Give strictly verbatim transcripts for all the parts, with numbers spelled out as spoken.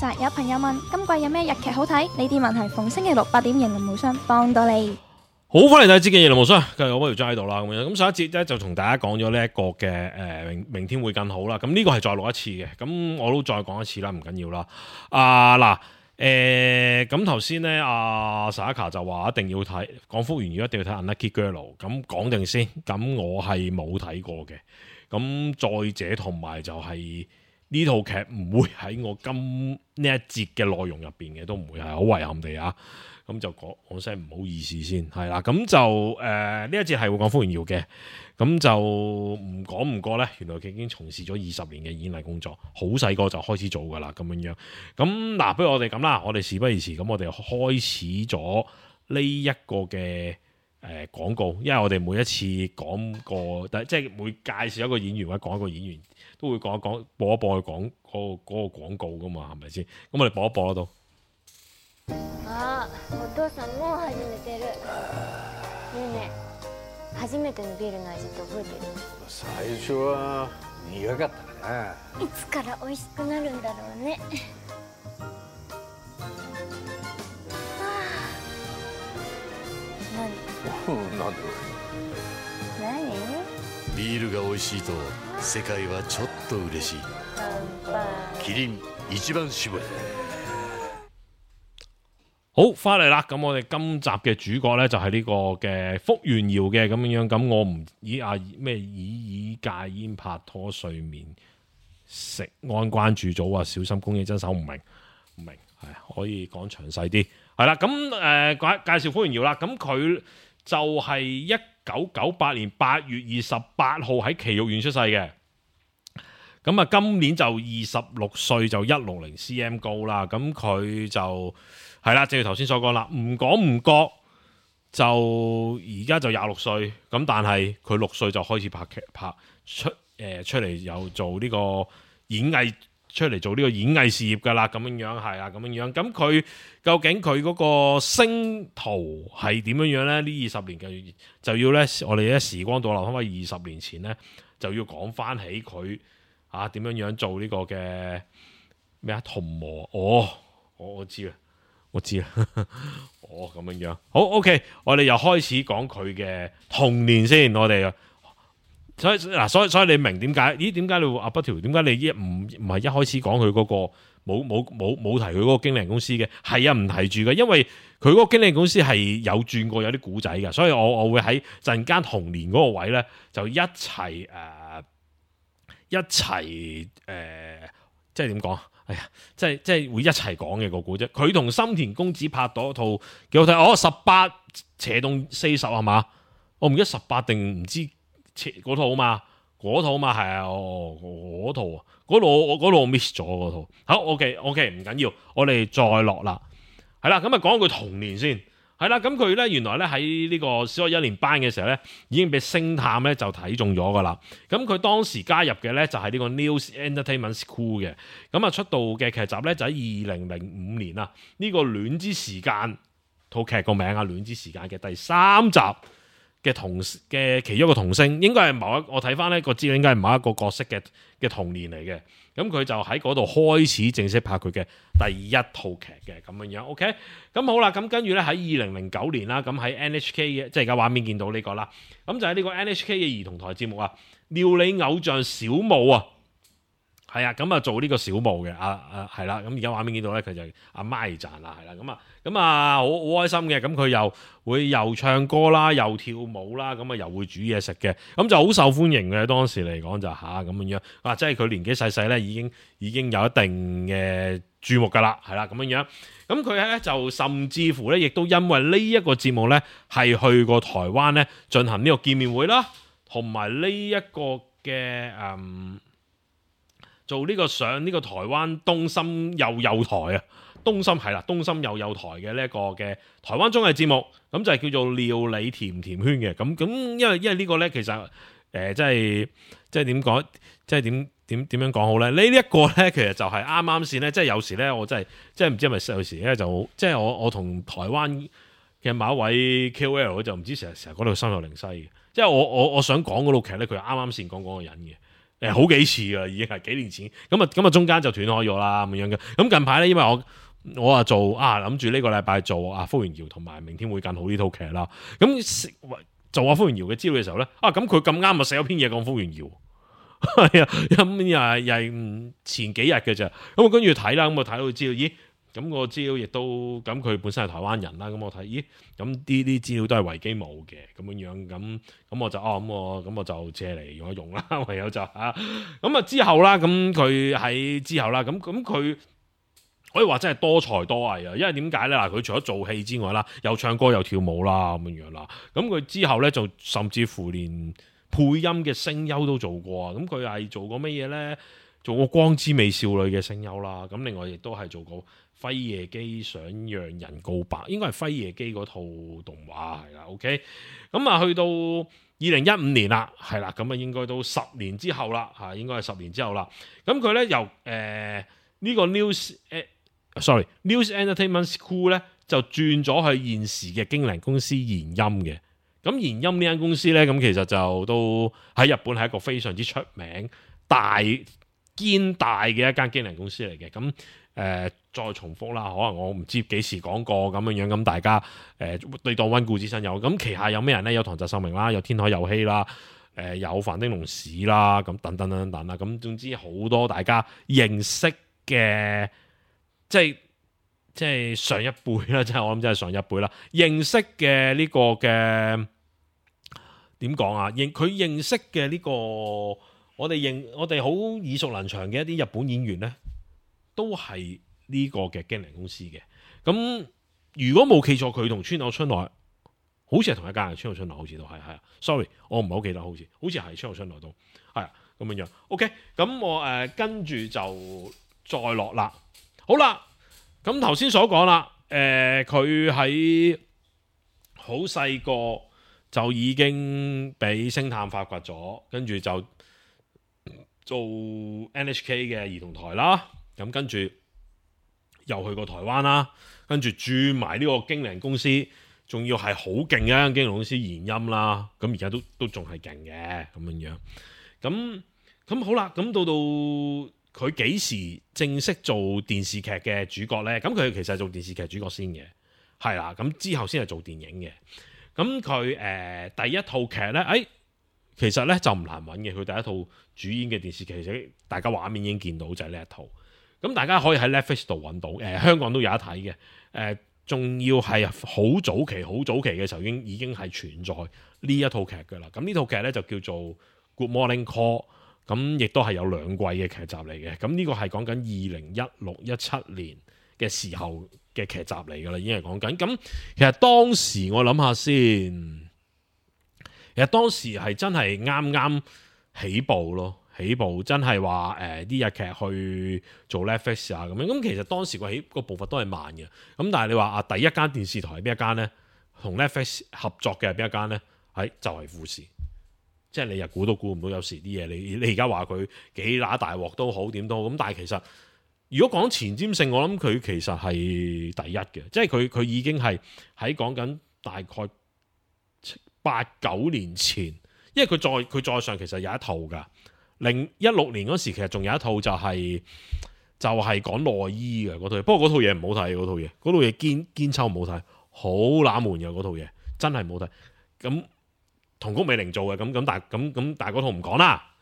實有朋友問今季有咩日劇好睇？呢啲問題逢星期六八點型林無雙幫到你。好，歡迎大家接見夜林無雙，繼續我嗰條齋喺度啦，咁樣咁上一節咧就同大家講咗呢一個嘅誒、呃、明明天會更好啦，咁呢個係再錄一次嘅，咁我都再講一次啦，唔緊要啦。啊嗱，誒咁頭先咧，阿 Saka 就話一定要睇講福原遙，一定要睇 Unlucky Girl， 咁講定先，咁我係冇睇過嘅，咁再者同埋就係、是。呢套劇唔會喺我今呢一節嘅內容入邊嘅，都唔會係好遺憾地啊！咁就講講聲唔好意思先，係啦，咁就誒呢、呃、一節係會講福原遙嘅，咁就唔講唔過呢，原來佢已經從事咗二十年嘅演藝工作，好細個就開始做噶啦，咁樣樣。咁嗱，不如我哋咁啦，我哋事不宜遲，咁我哋開始咗呢一個嘅。誒、呃、廣告，因為我哋每一次講個，但即係每介紹一個演員或者講一個演員，都會講一講播一播去講嗰個嗰個廣告噶嘛，係咪先？咁我哋播一播啦都。啊，お父さんもう始めてる。ねえねえ、初めてのビールの味って覚えてる？最初は苦かったかな。いつから美味しくなるんだろうね。なんで何？ビールが美味しいと世界はちょっと嬉しい。乾杯。キリン一番搾り。好，翻嚟啦！咁我哋今集嘅主角咧就係呢個嘅福原遙嘅咁樣樣。咁我唔以啊咩以以戒煙拍拖睡眠食安關注組啊，小心公益真手唔明唔明係可以講詳細啲係啦。咁誒介介紹福原遙啦。咁佢就係一九九八年八月二十八號喺埼玉縣出世嘅。咁啊，今年就二十六歲，就一六零 cm 高啦。咁佢就係啦，正如頭先所講啦，唔講唔覺就而家就廿六歲。咁但係佢六歲就開始拍劇拍出誒、呃、出嚟又做呢個演藝出嚟做呢個演藝事業噶啦，咁樣樣係啊，咁樣樣。咁佢究竟佢嗰個星途係點樣樣咧？呢二十年嘅就要咧，我哋咧時光倒流翻翻二十年前咧，就要講翻起佢啊點樣樣做呢個嘅咩啊童模哦，我我知啦，我知啦，哦咁樣樣。好 OK， 我哋又開始講佢嘅童年先，我哋。所以嗱，所以所以你明點解？咦，點解你會阿不條？點解你一唔唔係一開始講佢嗰個冇冇冇冇提佢嗰個經理人公司嘅？係啊，唔提住嘅，因為佢嗰個經理人公司係有轉過有啲古仔嘅，所以我我會喺陣間童年嗰個位咧就一齊誒、呃、一齊誒、呃，即係點講？哎呀，即係即係會一齊講嘅個古仔。佢同深田恭子拍咗套幾好睇，哦，十八斜動四十係嘛？我唔記得十八定唔知。嗰套嘛，嗰套嘛係啊，哦，嗰套啊，嗰度我嗰度我 miss 咗嗰套。好 ，OK OK， 唔緊要，我哋再落啦。係啦，咁啊講佢童年先。係啦，咁佢咧原來咧喺呢個小學一年班嘅時候咧，已經俾星探咧就睇中咗噶啦。咁佢當時加入嘅咧就係呢個 News Entertainment School 嘅。咁啊出道嘅劇集咧就喺二零零五年啊，呢、這個戀之時間套劇個名啊，戀之時間嘅第三集。嘅童嘅其中一個童星，應該係某一我睇翻呢個資料，應該係某一個角色嘅嘅童年嚟嘅。咁佢就喺嗰度開始正式拍佢嘅第一套劇嘅咁樣樣。OK，咁好啦，咁跟住咧喺二零零九年啦，咁喺 N H K 嘅，即係而家畫面見到呢、這個啦。咁就喺呢個 N H K 嘅兒童台節目啊，料理偶像小舞啊，係啊，咁啊做呢個小舞嘅啊啊係啦。咁而家畫面見到咧，佢就阿 Mai 讚啦，係啦，咁啊。咁啊，好好開心嘅，咁佢又會又唱歌啦，又跳舞啦，咁啊又會煮嘢食嘅，咁就好受歡迎嘅。當時嚟講就吓咁樣樣，啊，即係佢年紀細細咧，已經已經有一定嘅注目噶啦，係啦咁樣樣。咁佢咧就甚至乎咧，亦都因為呢一個節目咧，係去過台灣咧進行呢個見面會啦，同埋呢一個嘅誒做呢個上呢個台灣東森幼幼台啊。東森係啦，東森幼幼台嘅呢一個嘅台灣綜藝節目，咁就係叫做料理甜甜圈嘅。咁咁，因為因為呢個咧，其實誒、呃，即係即係點講，即係點點點樣講好咧？呢一個咧，其實就係啱啱先咧，即係有時咧，我真係即係唔知係咪有時咧，就即係我我同台灣嘅某一位 K O L 就唔知成日成日講到心有靈犀嘅。即係我我我想講嗰套劇咧，佢啱啱先講嗰個人嘅。誒好幾次噶，已經係幾年前。咁啊咁啊，中間就斷開咗啦咁樣嘅。咁近排咧，因為我我啊做啊諗住呢個禮拜做啊福原遙同埋明天會更好呢套劇啦。咁做阿福原遙嘅資料嘅時候咧，啊咁佢咁啱啊寫咗篇嘢講福原遙。係啊，咁又係又係前幾日嘅咋，咁我跟住睇啦，咁我睇到資料，咦，咁個資料亦都，咁佢本身係台灣人啦，咁我睇，咦，咁呢啲資料都係維基冇嘅，咁樣樣，咁咁我就哦，咁我咁我就借嚟用一用啦，唯有就嚇，咁啊之後啦，咁佢喺之後啦，咁咁佢可以話真係多才多藝啊，因為點解咧？嗱，佢除咗做戲之外啦，又唱歌又跳舞啦，咁樣樣啦，咁佢之後咧就甚至乎連配音嘅聲優都做過啊！咁佢係做過乜嘢呢？做過《光之美少女》嘅聲優啦。咁另外亦都係做過《輝夜姬想讓人告白》，應該係《輝夜姬》嗰套動畫係啦。OK，咁啊去到二零一五年啦，係啦，咁啊應該都十年之後啦，嚇應該係十年之後啦。咁佢呢由誒呢、呃這個 News 誒、呃、sorry News Entertainment School 呢，就轉咗去現時嘅經理公司研音嘅。咁研音呢間公司咧，咁其實就都喺日本係一個非常之出名、大堅大嘅一間經理公司嚟嘅。咁誒、呃、再重複啦，可能我唔知幾時講過咁樣樣，咁大家誒對當溫故知新有。咁旗下有咩人咧？有唐澤壽明啦，有天海佑希啦，誒、呃、有繁丁龍史啦，咁等等等等啦。咁總之好多大家認識嘅，即係。即係上一輩啦，即係我諗，真係上一輩啦。認識嘅呢個嘅點講啊？認佢認識嘅呢個，我哋認我哋好耳熟能詳嘅一啲日本演員咧，都係呢個嘅經理公司嘅。咁如果冇記錯，佢同川口春奈好似係同一間嘅，川口春奈好似都係係啊。sorry， 我唔係好記得，好似好似係川口春奈都係啊咁樣樣。OK，咁我誒、呃、跟住就再落啦。好啦。咁頭先所講啦，誒佢喺好細個就已經俾星探發掘咗，跟住就做 N H K 嘅兒童台啦。咁跟住又去過台灣啦，跟住轉埋呢個經理人公司，仲要係好勁嘅一間經理公司研音啦。咁而家都都仲係勁嘅咁樣樣。咁咁好啦，咁到到。佢幾時正式做電視劇嘅主角呢？咁佢其實係做電視劇主角先嘅，係啦。咁之後先係做電影嘅。咁佢誒第一套劇呢，誒、哎、其實呢就唔難揾嘅。佢第一套主演嘅電視劇，其實大家畫面已經見到就係呢一套。咁大家可以喺 Netflix 度揾到，誒、呃、香港都有得睇嘅。誒、呃、仲要係好早期、好早期嘅時候已經已經係存在呢一套劇㗎啦。咁呢套劇呢，就叫做 Good Morning Call。咁亦都係有兩季嘅劇集嚟嘅，咁呢個係講緊二零一六一七年嘅時候嘅劇集嚟噶啦，已經係講緊。咁其實當時我諗下先，其實當時係真係啱啱起步咯，起步真係話誒啲日劇去做 Netflix 啊咁樣。咁其實當時個起個步伐都係慢嘅。咁但係你話啊，第一間電視台係邊一間呢？同 Netflix 合作嘅係邊一間呢？係就係富士。即係你又估都估唔到，有時啲嘢你你而家話佢幾乸大鑊都好，點都好咁，但係其實如果講前瞻性，我諗佢其實係第一嘅，即係佢佢已經係喺講緊大概八九年前，因為佢再佢再上其實有一套㗎，零一六年嗰時其實仲有一套就係、是、就係、是、講內衣嘅嗰套嘢，不過嗰套嘢唔好睇，嗰套嘢嗰套嘢堅堅抽唔好睇，好冷門嘅嗰套嘢，真係唔好睇咁。同谷美玲做嘅咁咁，但係咁咁，但係嗰套唔講啦。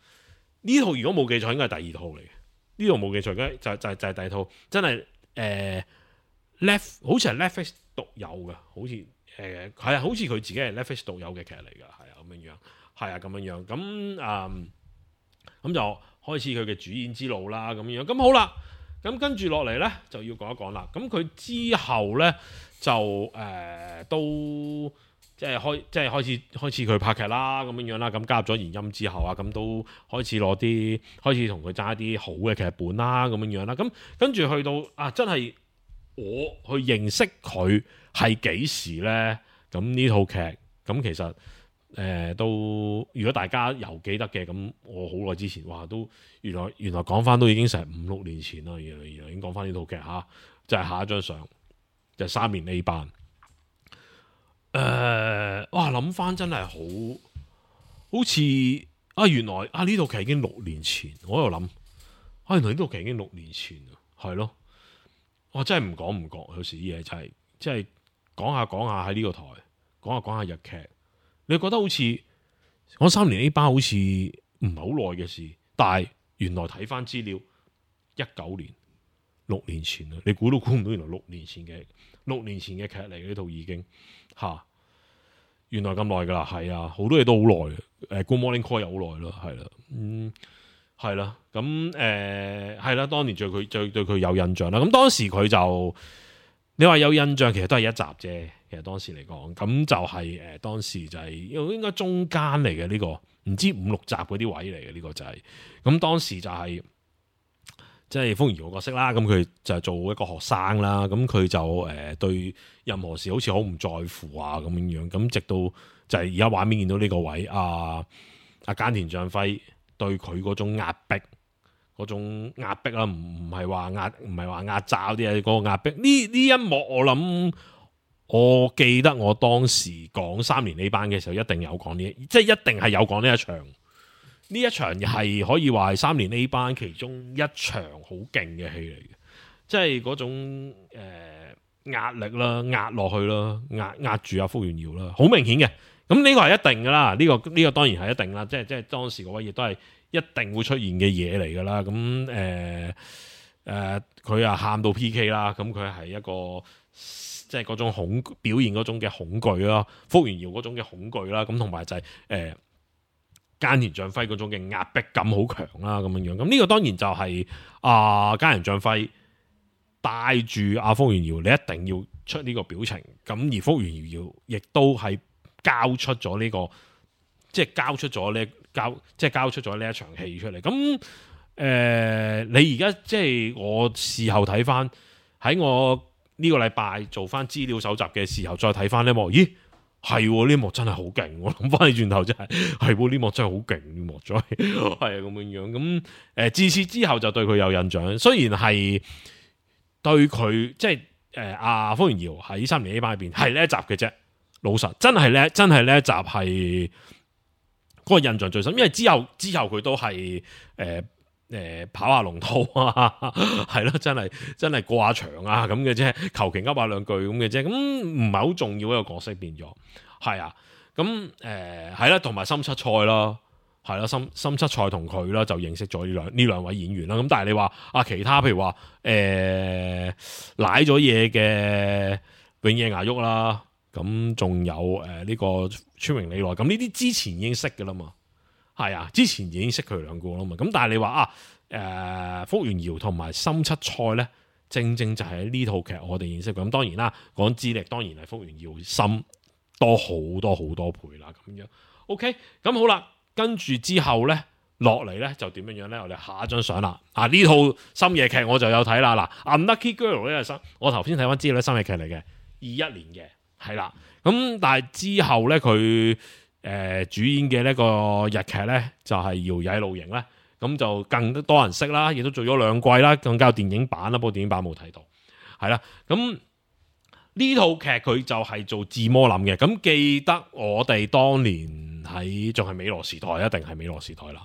呢套如果冇記錯，應該係第二套嚟嘅。呢套冇記錯，嘅就就就係第二套，真係誒 Netflix 好似係 Netflix 獨有嘅，好似誒係啊，好似佢自己係 Netflix 獨有嘅劇嚟㗎，係啊咁樣樣，係啊咁樣樣，咁誒咁就開始佢嘅主演之路啦，咁樣樣，咁好啦，咁跟住落嚟咧就要講一講啦。咁佢之後咧就誒、呃、都。即係開，即係開始開始佢拍劇啦，咁樣樣啦。咁加入咗研音之後啊，咁都開始攞啲，開始同佢爭一啲好嘅劇本啦，咁樣樣啦。咁跟住去到啊，真係我去認識佢係幾時呢？咁呢套劇咁其實誒、呃、都，如果大家有記得嘅，咁我好耐之前，哇都原來原來講翻都已經成五六年前啦，原來原來已經講翻呢套劇嚇，就係、是、下一張相就係、是、三年 A 班。誒、呃，哇！諗翻真係好，好似啊，原來啊呢套劇已經六年前，我喺度諗，啊原來呢套劇已經六年前啊，係咯，我真係唔講唔覺，有時啲嘢就係即係講下講下喺呢個台，講下講下日劇，你覺得好似我三年 A 班好似唔係好耐嘅事，但係原來睇翻資料，一九年六年前啊，你估都估唔到，原來六年前嘅六年前嘅劇嚟嘅呢套已經吓。啊原來咁耐噶啦，係啊，好多嘢都好耐嘅。誒，Good Morning Call 又好耐咯，係啦，嗯，係啦，咁誒係啦，當年對佢最對佢有印象啦。咁當時佢就你話有印象，其實都係一集啫。其實當時嚟講，咁就係、是、誒、呃、當時就係、是、應該中間嚟嘅呢個，唔知五六集嗰啲位嚟嘅呢個就係、是。咁當時就係、是。即係風原遙個角色啦，咁佢就係做一個學生啦，咁佢就誒、呃、對任何事好似好唔在乎啊咁樣樣，咁直到就係而家畫面見到呢個位，阿阿菅田將輝對佢嗰種壓迫，嗰種壓迫啦，唔唔係話壓唔係話壓榨啲嘢，嗰個壓迫呢呢一幕我諗，我記得我當時講三年 A 班嘅時候，一定有講呢，即係一定係有講呢一場。呢一場係可以話係三年 A 班其中一場好勁嘅戲嚟嘅，即係嗰種誒、呃、壓力啦，壓落去啦，壓壓住阿福原遙啦，好明顯嘅。咁呢個係一定噶啦，呢、這個呢、這個當然係一定啦，即係即係當時嗰位亦都係一定會出現嘅嘢嚟噶啦。咁誒誒，佢啊喊到 P K 啦，咁佢係一個即係嗰種恐表現嗰種嘅恐懼啦，福原遙嗰種嘅恐懼啦，咁同埋就係、是、誒。呃菅田將輝嗰種嘅壓迫感好強啦，咁樣樣，咁呢個當然就係啊菅田將輝帶住阿福原遙，你一定要出呢個表情，咁而福原遙亦都係交出咗呢、這個，即係交出咗呢交，即係交出咗呢一場戲出嚟。咁誒、呃，你而家即係我事後睇翻，喺我呢個禮拜做翻資料搜集嘅時候，再睇翻呢幕，咦？係呢幕真係好勁，我諗翻起轉頭真係係呢幕真係好勁呢幕，再係啊咁樣樣咁誒，自此之後就對佢有印象。雖然係對佢即係誒阿福原遙喺三年 A 班入邊係呢一集嘅啫，老實真係呢真係呢一集係嗰個印象最深，因為之後之後佢都係誒誒跑下龍套啊，係咯，真係真係過下場啊咁嘅啫，求其噏下兩句咁嘅啫，咁唔係好重要一個角色變咗，係啊，咁誒係啦，同埋森七菜啦，係啦，森森七菜同佢啦就認識咗呢兩呢兩位演員啦，咁但係你話啊其他譬如話誒瀨咗嘢嘅永野芽郁啦，咁仲有誒呢、呃這個村榮理奈，咁呢啲之前已經識㗎啦嘛。係啊，之前已經識佢兩個啦嘛，咁但係你話啊，誒、呃、福原遙同埋森七菜咧，正正就係呢套劇我哋認識佢。咁當然啦，講資歷當然係福原遙深多好多好多倍啦，咁樣。OK，咁好啦，跟住之後咧落嚟咧就點樣樣咧？我哋下一張相啦。啊呢套深夜劇我就有睇啦。嗱，Unlucky Girl 呢係深，我頭先睇翻資料咧深夜劇嚟嘅，二一年嘅係啦。咁但係之後咧佢。誒、呃，主演嘅呢個日劇咧就係、是、搖曳露營咧，咁就更多人識啦，亦都做咗兩季啦，更加有電影版啦，不過電影版冇睇到，係啦，咁呢套劇佢就係做自魔林嘅，咁記得我哋當年喺仲係美羅時代，一定係美羅時代啦，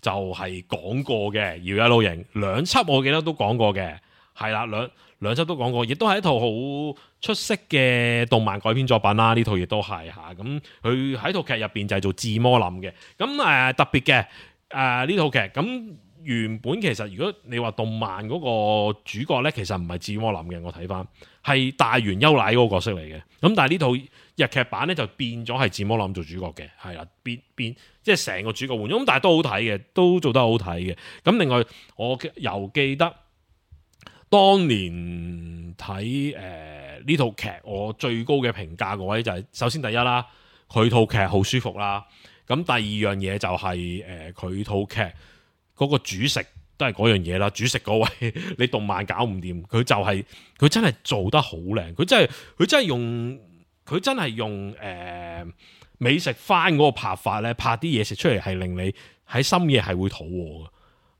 就係、是、講過嘅搖曳露營兩輯，我記得都講過嘅，係啦兩。兩輯都講過，亦都係一套好出色嘅動漫改編作品啦。呢套亦都係嚇，咁佢喺套劇入邊就係做自魔林嘅。咁誒、呃、特別嘅誒呢套劇，咁原本其實如果你話動漫嗰個主角咧，其實唔係自魔林嘅，我睇翻係大原優乃嗰個角色嚟嘅。咁但係呢套日劇版咧就變咗係自魔林做主角嘅，係啦，變變即係成個主角換咗。咁但係都好睇嘅，都做得好睇嘅。咁另外我又記得。當年睇誒呢套劇，我最高嘅評價個位就係、是、首先第一啦，佢套劇好舒服啦。咁第二樣嘢就係誒佢套劇嗰個主食都係嗰樣嘢啦。主食嗰位你動漫搞唔掂，佢就係、是、佢真係做得好靚。佢真係佢真係用佢真係用誒、呃、美食番嗰個拍法咧，拍啲嘢食出嚟係令你喺深夜係會肚餓嘅。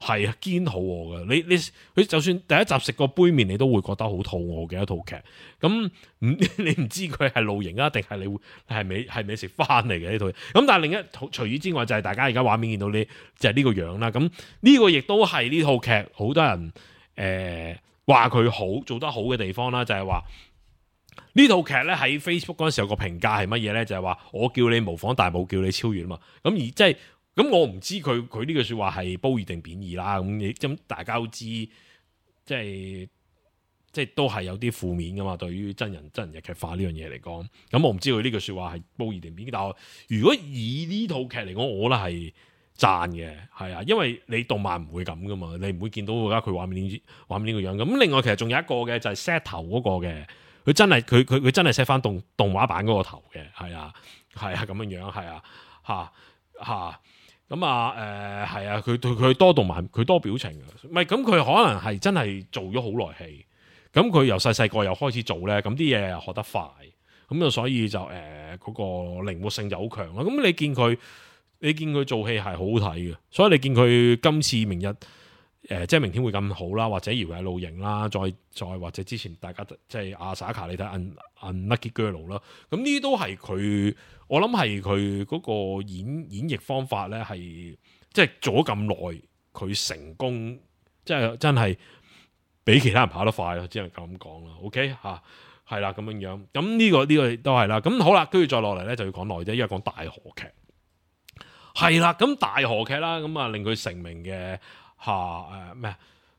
係啊，堅肚餓嘅。你你佢就算第一集食個杯麵，你都會覺得好肚餓嘅一套劇。咁唔你唔知佢係露營啊，定係你會係美係美食翻嚟嘅呢套。咁但係另一除此之外，就係大家而家畫面見到呢，就係呢個樣啦。咁呢個亦都係呢套劇好多人誒話佢好做得好嘅地方啦，就係話呢套劇咧喺 Facebook 嗰陣時有個評價係乜嘢咧？就係話我叫你模仿，但係冇叫你超越啊嘛。咁而即係。咁我唔知佢佢呢句說話係褒義定貶義啦。咁你咁大家都知，即係即係都係有啲負面噶嘛。對於真人真人日劇化呢樣嘢嚟講，咁我唔知佢呢句說話係褒義定貶義。但係如果以呢套劇嚟講，我覺得係讚嘅，係啊，因為你動漫唔會咁噶嘛，你唔會見到而家佢畫面呢畫面呢個樣。咁另外其實仲有一個嘅就係 set 頭嗰個嘅，佢真係佢佢佢真係 set 翻動動畫版嗰個頭嘅，係啊係啊咁樣樣，係啊吓吓。咁啊，誒係啊，佢佢佢多動漫，佢多表情嘅，唔係咁佢可能係真係做咗好耐戲，咁佢由細細個又開始做咧，咁啲嘢又學得快，咁啊所以就誒嗰、呃嗰個靈活性就好強啦。咁你見佢，你見佢做戲係好好睇嘅，所以你見佢今次明日誒、呃、即係明天會咁好啦，或者搖曳露營啦，再再或者之前大家即係阿薩卡你睇 Unlucky Girl 啦，咁呢啲都係佢。我諗係佢嗰個演演繹方法咧，係即係做咗咁耐，佢成功，即係真係比其他人跑得快咯，只能咁講啦。OK 吓，係啦咁樣樣。咁呢個呢個都係啦。咁好啦，跟住再落嚟咧就要講耐啲，因為講大河劇係啦。咁大河劇啦，咁啊令佢成名嘅吓誒咩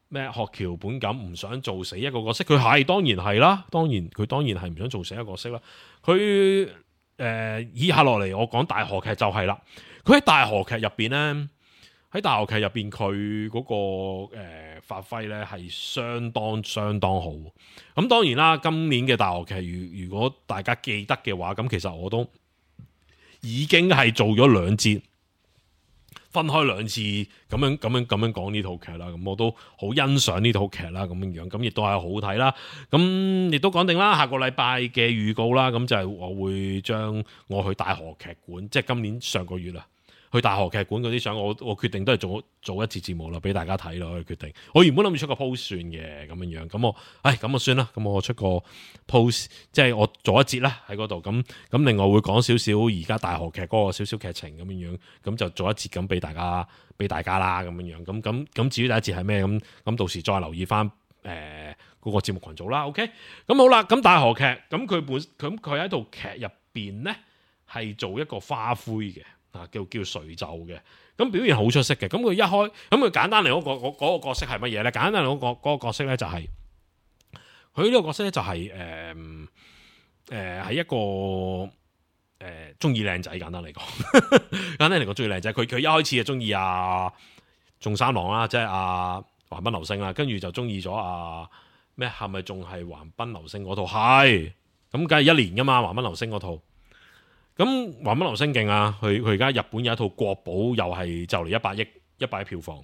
咩學橋本錦唔想做死一個角色，佢係當然係啦，當然佢當然係唔想做死一個角色啦，佢。誒、呃，以下落嚟我講大河劇就係啦，佢喺大河劇入邊咧，喺大河劇入邊佢嗰個誒、呃、發揮咧係相當相當好。咁當然啦，今年嘅大河劇，如如果大家記得嘅話，咁其實我都已經係做咗兩節，分開兩次咁樣咁樣咁樣講呢套劇啦。咁我都好欣賞呢套劇啦，咁樣樣咁亦都係好睇啦。咁亦都講定啦，下個禮拜嘅預告啦，咁就係我會將我去大河劇館，即係今年上個月啦，去大河劇館嗰啲相，我我決定都係做做一節節目啦，俾大家睇咯。我決定，我原本諗住出個 post 算嘅咁樣樣，咁我，唉，咁啊算啦，咁我出個 post，即係我做一節啦喺嗰度，咁咁另外會講少少而家大河劇嗰個少少劇情咁樣樣，咁就做一節咁俾大家俾大家啦咁樣樣，咁咁咁至於第一節係咩咁，咁到時再留意翻誒嗰個節目群組啦。OK，咁好啦，咁大河劇咁佢本咁佢喺套劇入邊咧係做一個花魁嘅。啊，叫叫隨奏嘅，咁表現好出色嘅。咁佢一開，咁佢簡單嚟嗰、嗰個嗰、嗰個角色係乜嘢咧？簡單嚟嗰、嗰個嗰、嗰個角色咧就係佢呢個角色咧就係誒誒係一個誒中意靚仔。簡單嚟講，簡單嚟講中意靚仔。佢佢一開始就中意阿仲三郎啦，即係阿橫濱流星啦，跟住就中意咗阿咩？係咪仲係橫濱流星嗰套？係咁，梗係一年噶嘛，橫濱流星嗰套。咁橫濱流星勁啊！佢佢而家日本有一套國寶，又係就嚟一百億一百億票房，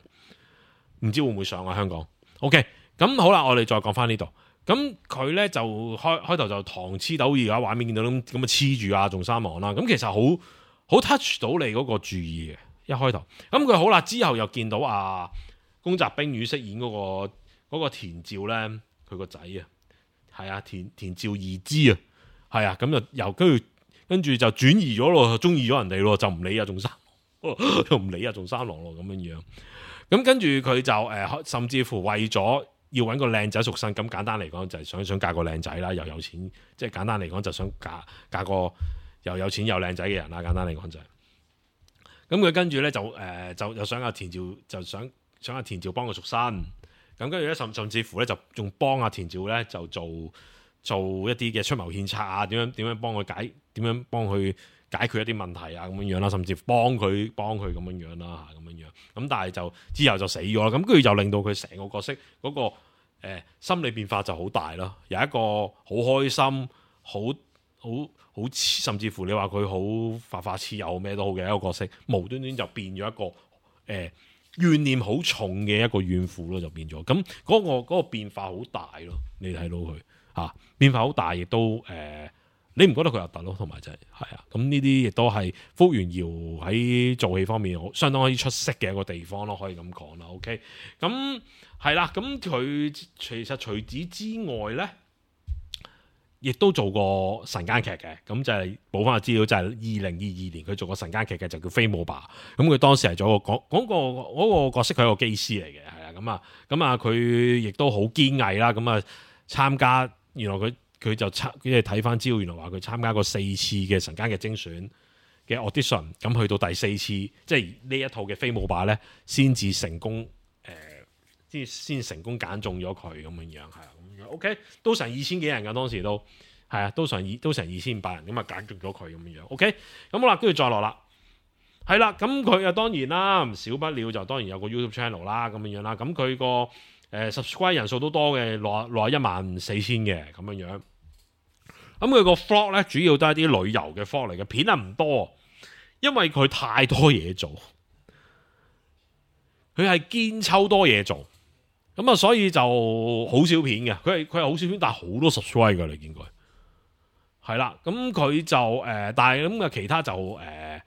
唔知會唔會上啊香港 ？OK， 咁好啦，我哋再講翻呢度。咁佢咧就開開頭就糖黐豆，而家畫面見到咁咁啊黐住啊仲三郎啦。咁其實好好 touch 到你嗰個注意嘅一開頭。咁佢好啦，之後又見到啊宮澤冰魚飾演嗰、嗰個、嗰個田照咧，佢個仔啊，係啊田田照義之啊，係啊，咁就由跟住。跟住就轉移咗咯，中意咗人哋咯，就唔理啊仲三，又唔理啊仲三郎咯咁樣樣。咁跟住佢就誒、呃，甚至乎為咗要揾個靚仔贖身，咁簡單嚟講就係想想嫁個靚仔啦，又有錢，即係簡單嚟講就想嫁嫁個又有錢又靚仔嘅人啦。簡單嚟講就係、是，咁佢跟住咧就誒、呃、就又想阿田照就想想阿田照幫佢贖身，咁跟住咧甚甚至乎咧就仲幫阿田照咧就做做一啲嘅出謀獻策啊，點樣點樣幫佢解。點樣幫佢解決一啲問題啊咁樣樣啦，甚至幫佢幫佢咁樣樣啦嚇咁樣樣。咁但係就之後就死咗啦。咁跟住就令到佢成個角色嗰、那個、呃、心理變化就好大咯。由一個好開心、好好好甚至乎你話佢好發發痴又咩都好嘅一個角色，無端端就變咗一個誒、呃、怨念好重嘅一個怨婦咯，就變咗。咁嗰、那個嗰、那個變化好大咯，你睇到佢嚇、啊、變化好大，亦都誒。呃你唔覺得佢核突咯？同埋就係係啊，咁呢啲亦都係福原遙喺做戲方面相當可以出色嘅一個地方咯，可以咁講啦。OK，咁係啦，咁佢其實除此之外咧，亦都做過晨間劇嘅，咁就係補翻個資料，就係二零二二年佢做過晨間劇嘅，就叫《飛姆爸》。咁佢當時係做個講嗰個嗰個角色，佢係個機師嚟嘅，係啊，咁啊，咁啊，佢亦都好堅毅啦，咁啊參加，原來佢。佢就參，即係睇翻資料，原來話佢參加過四次嘅晨間嘅精選嘅 audition，咁去到第四次，即係呢一套嘅飛舞霸咧，先至成功誒，先、呃、先成功揀中咗佢咁樣樣，係啊，咁樣 OK，都成二千幾人㗎，當時都係啊，都成二都成二千五百人咁啊，揀中咗佢咁樣樣 OK，咁好啦，跟住再落啦，係啦，咁佢啊當然啦，唔少不了就當然有個 YouTube channel 啦，咁樣樣啦，咁佢個誒 subscribe 人數都多嘅，落落一萬四千嘅咁樣樣。咁佢個 vlog 咧，主要都係啲旅遊嘅 vlog 嚟嘅，片啊唔多，因為佢太多嘢做，佢係堅抽多嘢做，咁啊，所以就好少片嘅。佢係佢係好少片，但係好多 subscribe 㗎，你見佢係啦。咁佢就誒、呃，但係咁啊，其他就誒，咁、呃、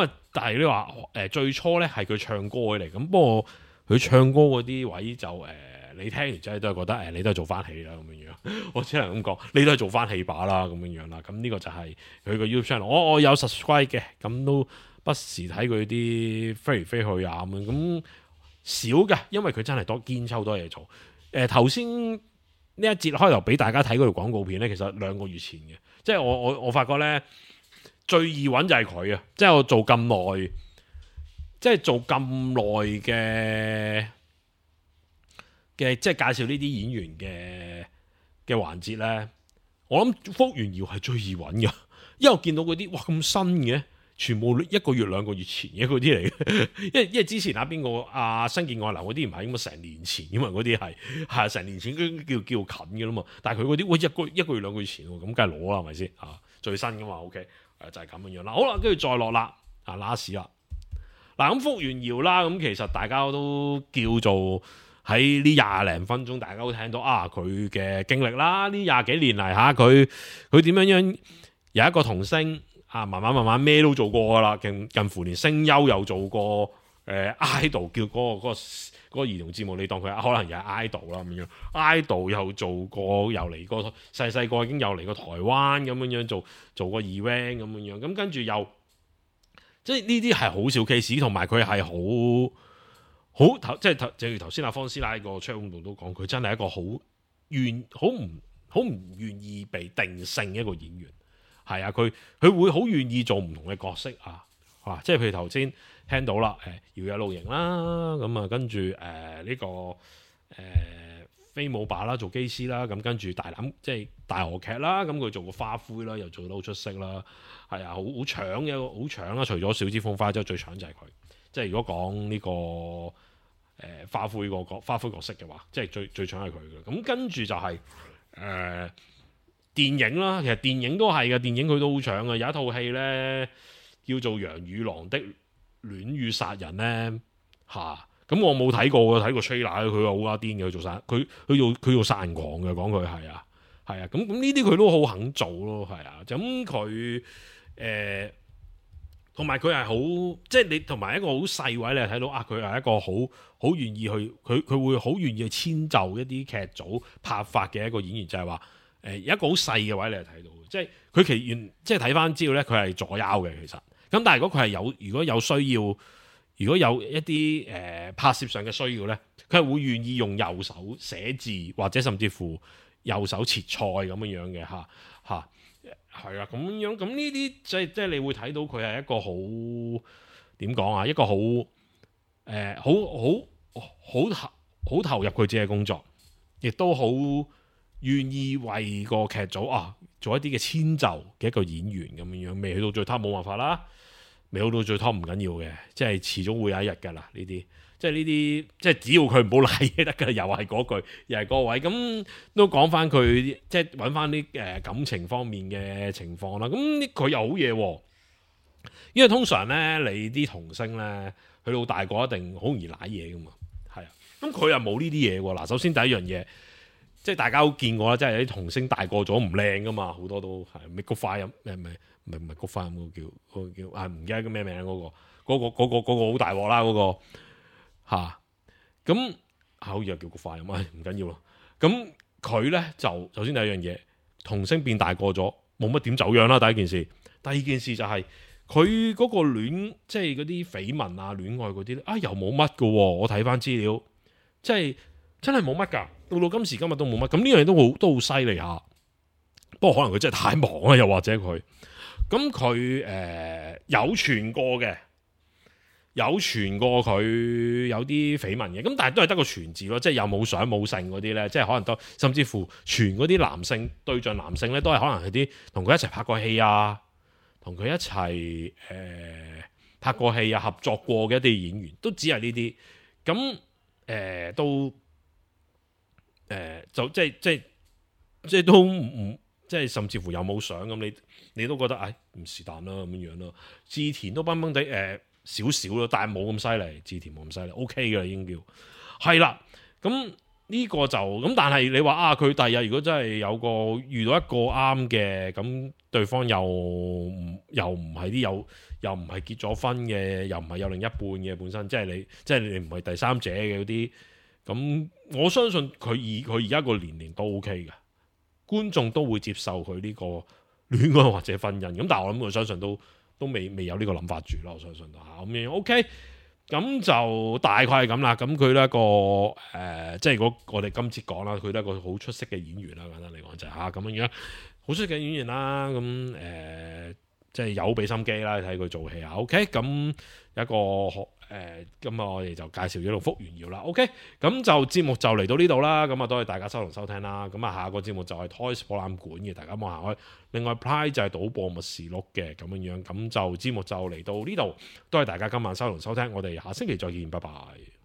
啊，但係你話誒，最初咧係佢唱歌嚟，咁不過佢唱歌嗰啲位就誒。呃你聽完之後都係覺得誒，你都係做翻戲啦咁樣樣，我只能咁講，你都係做翻戲把啦咁樣樣啦。咁呢個就係佢個 YouTube channel，我我有 subscribe 嘅，咁都不時睇佢啲飛嚟飛去啊咁樣，咁少嘅，因為佢真係多堅抽多嘢做。誒頭先呢一節開頭俾大家睇嗰條廣告片咧，其實兩個月前嘅，即係我我我發覺咧最易揾就係佢啊，即係我做咁耐，即係做咁耐嘅。嘅即係介紹呢啲演員嘅嘅環節咧，我諗福原遙係最易揾嘅，因為我見到嗰啲哇咁新嘅，全部一個月兩個月前嘅嗰啲嚟嘅，因為因為之前啊邊個啊新建愛流嗰啲唔係咁啊成年前，因為嗰啲係係成年前叫叫叫近嘅啦嘛，但係佢嗰啲喂一個一個月兩個月前喎，咁梗係攞啦係咪先啊？最新嘅嘛 ，OK，誒就係咁樣樣啦。好啦，跟住再落啦，啊 last 啦，嗱咁福原遙啦，咁其實大家都叫做。喺呢廿零分鐘，大家都聽到啊佢嘅經歷啦。呢廿幾年嚟嚇，佢佢點樣樣有一個童星啊，慢慢慢慢咩都做過噶啦，近近乎連聲優又做過，誒、呃、idol 叫嗰、嗰個嗰、嗰個嗰、嗰個兒童節目，你當佢可能又係 idol 啦咁樣，idol 又做過，又嚟過細細個已經又嚟過台灣咁樣樣做做過 event 咁樣樣，咁跟住又即係呢啲係好少 case，同埋佢係好。好頭即係頭，正如頭先阿方師奶個 channel 度都講，佢真係一個好願好唔好唔願意被定性一個演員，係啊，佢佢會好願意做唔同嘅角色啊，啊，即係譬如頭先聽到啦，誒搖曳露營啦，咁啊跟住誒呢個誒、呃、飛舞霸啦，做機師啦，咁跟住大膽即係大河劇啦，咁佢做個花魁啦，又做得好出色啦，係啊，好好搶嘅，好搶啦，除咗小芝風花之後，最搶就係佢。即係如果講呢、這個誒、呃、花魁個角花魁角色嘅話，即係最最搶係佢嘅。咁跟住就係、是、誒、呃、電影啦，其實電影都係嘅，電影佢都好搶嘅。有一套戲咧叫做《楊與狼的戀與殺人》咧嚇，咁、啊、我冇睇過嘅，睇過 trailer 佢話好加癲嘅，佢做殺佢佢做佢做殺人狂嘅，講佢係啊係啊，咁咁呢啲佢都好肯做咯，係啊，咁佢誒。同埋佢係好，即係你同埋一個好細位，你係睇到啊！佢係一個好好願意去，佢佢會好願意去遷就一啲劇組拍法嘅一個演員，就係話誒有一個好細嘅位，你係睇到，即係佢其原即係睇翻資料咧，佢係左腰嘅其實。咁但係如果佢係有如果有需要，如果有一啲誒、呃、拍攝上嘅需要咧，佢係會願意用右手寫字，或者甚至乎右手切菜咁樣樣嘅嚇嚇。啊係啊，咁樣咁呢啲即係即係你會睇到佢係一個好點講啊，一個好誒好好好投好投入佢自己嘅工作，亦都好願意為個劇組啊做一啲嘅遷就嘅一個演員咁樣樣。未去到最 top 冇辦法啦，未去到最 top 唔緊要嘅，即係遲早會有一日㗎啦呢啲。即係呢啲，即係只要佢唔好賴嘢得㗎，又係嗰句，又係嗰位。咁都講翻佢，即係揾翻啲誒感情方面嘅情況啦。咁佢又好嘢喎，因為通常咧，你啲童星咧，去到大個一定好容易賴嘢噶嘛。係啊，咁佢又冇呢啲嘢喎。嗱，首先第一樣嘢，即係大家都見過啦，即係有啲童星大個咗唔靚噶嘛，好多都係咩菊花音，咩咩唔係唔係菊花音嗰個叫嗰個叫啊唔記得叫咩名嗰個嗰個嗰個嗰個好大鑊啦嗰個嚇，咁好似又叫菊花音啊，唔緊要咯。咁佢咧就首先第一樣嘢，童星變大個咗，冇乜點走樣啦。第一件事，第二件事就係佢嗰個戀，即係嗰啲緋聞啊、戀愛嗰啲咧，啊又冇乜噶。我睇翻資料，即係真係冇乜噶。到到今時今日都冇乜。咁呢樣嘢都好都好犀利下。不過可能佢真係太忙啦，又或者佢咁佢誒有傳過嘅，有傳過佢有啲緋聞嘅。咁但係都係得個傳字咯，即係又冇相冇性嗰啲咧，即係可能都甚至乎傳嗰啲男性對象男性咧，都係可能係啲同佢一齊拍過戲啊。同佢一齊誒、呃、拍過戲啊，合作過嘅一啲演員都只係呢啲，咁誒、呃、都誒、呃、就即係即係即係都唔即係甚至乎有冇相咁，你你都覺得誒唔是但啦咁樣樣咯。志田都崩崩地誒少少咯，但係冇咁犀利，志田冇咁犀利 ，OK 嘅啦已經叫係啦。咁呢個就咁，但係你話啊，佢第日如果真係有個遇到一個啱嘅，咁對方又唔又唔係啲有又唔係結咗婚嘅，又唔係有另一半嘅本身，即係你即係你唔係第三者嘅嗰啲，咁我相信佢以佢而家個年齡都 OK 嘅，觀眾都會接受佢呢個戀愛或者婚姻。咁但係我諗我相信都都未未有呢個諗法住啦，我相信嚇咁樣 OK。咁就大概係咁啦。咁佢呢一個誒、呃，即係如果我哋今次講啦，佢都係一個好出色嘅演員啦。簡單嚟講就係嚇咁樣樣，好出色嘅演員啦。咁誒、呃，即係有俾心機啦，睇佢做戲啊。OK，咁一個誒，咁、呃、我哋就介紹咗套《福原遙》啦。OK，咁就節目就嚟到呢度啦。咁啊，多謝大家收同收聽啦。咁啊，下個節目就係 Toys 博覽館嘅，大家望下開。另外 Pride 就係賭博默示錄嘅咁樣樣，咁就節目就嚟到呢度，多謝大家今晚收同收聽，我哋下星期再見，拜拜。